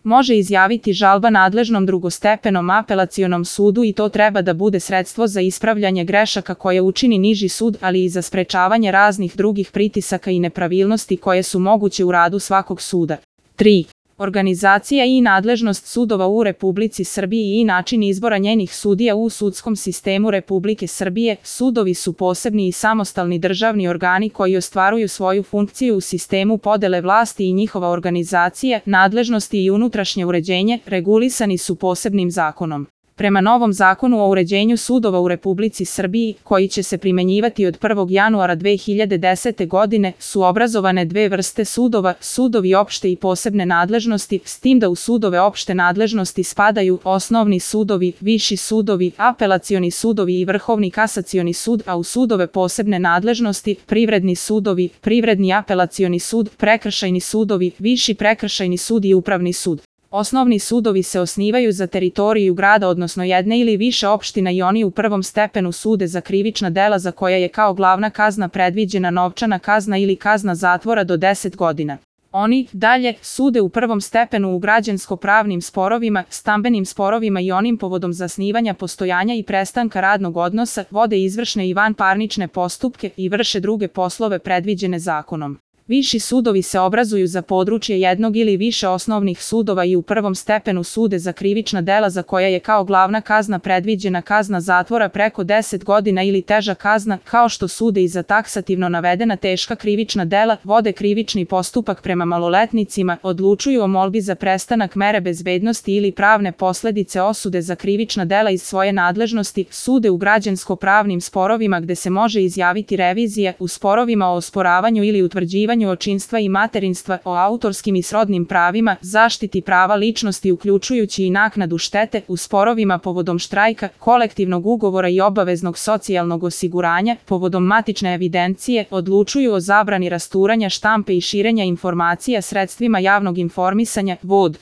može izjaviti žalba nadležnom drugostepenom apelacionom sudu i to treba da bude sredstvo za ispravljanje grešaka koje učini niži sud, ali i za sprečavanje raznih drugih pritisaka i nepravilnosti koje su moguće u radu svakog suda. 3. Organizacija i nadležnost sudova u Republici Srbiji i način izbora njenih sudija u sudskom sistemu Republike Srbije. Sudovi su posebni i samostalni državni organi koji ostvaruju svoju funkciju u sistemu podele vlasti i njihova organizacija, nadležnosti i unutrašnje uređenje regulisani su posebnim zakonom. Prema novom zakonu o uređenju sudova u Republici Srbiji, koji će se primenjivati od 1. januara 2010. godine, su obrazovane dve vrste sudova, sudovi opšte i posebne nadležnosti, s tim da u sudove opšte nadležnosti spadaju osnovni sudovi, viši sudovi, apelacioni sudovi i Vrhovni kasacioni sud, a u sudove posebne nadležnosti privredni sudovi, privredni apelacioni sud, prekršajni sudovi, viši prekršajni sud i upravni sud. Osnovni sudovi se osnivaju za teritoriju grada odnosno jedne ili više opština i oni u prvom stepenu sude za krivična dela za koja je kao glavna kazna predviđena novčana kazna ili kazna zatvora do 10 godina. Oni, dalje, sude u prvom stepenu u građansko-pravnim sporovima, stambenim sporovima i onim povodom zasnivanja postojanja i prestanka radnog odnosa, vode izvršne i vanparnične postupke i vrše druge poslove predviđene zakonom. Viši sudovi se obrazuju za područje jednog ili više osnovnih sudova i u prvom stepenu sude za krivična dela za koja je kao glavna kazna predviđena kazna zatvora preko 10 godina ili teža kazna, kao što sude i za taksativno navedena teška krivična dela, vode krivični postupak prema maloletnicima, odlučuju o molbi za prestanak mere bezbednosti ili pravne posledice osude za krivična dela iz svoje nadležnosti, sude u građansko-pravnim sporovima gde se može izjaviti revizija, u sporovima o osporavanju ili utvrđivanju očinstva i materinstva, o autorskim i srodnim pravima, zaštiti prava ličnosti uključujući i naknadu štete, u sporovima povodom štrajka, kolektivnog ugovora i obaveznog socijalnog osiguranja, povodom matične evidencije, odlučuju o zabrani rasturanja štampe i širenja informacija sredstvima javnog informisanja, vod.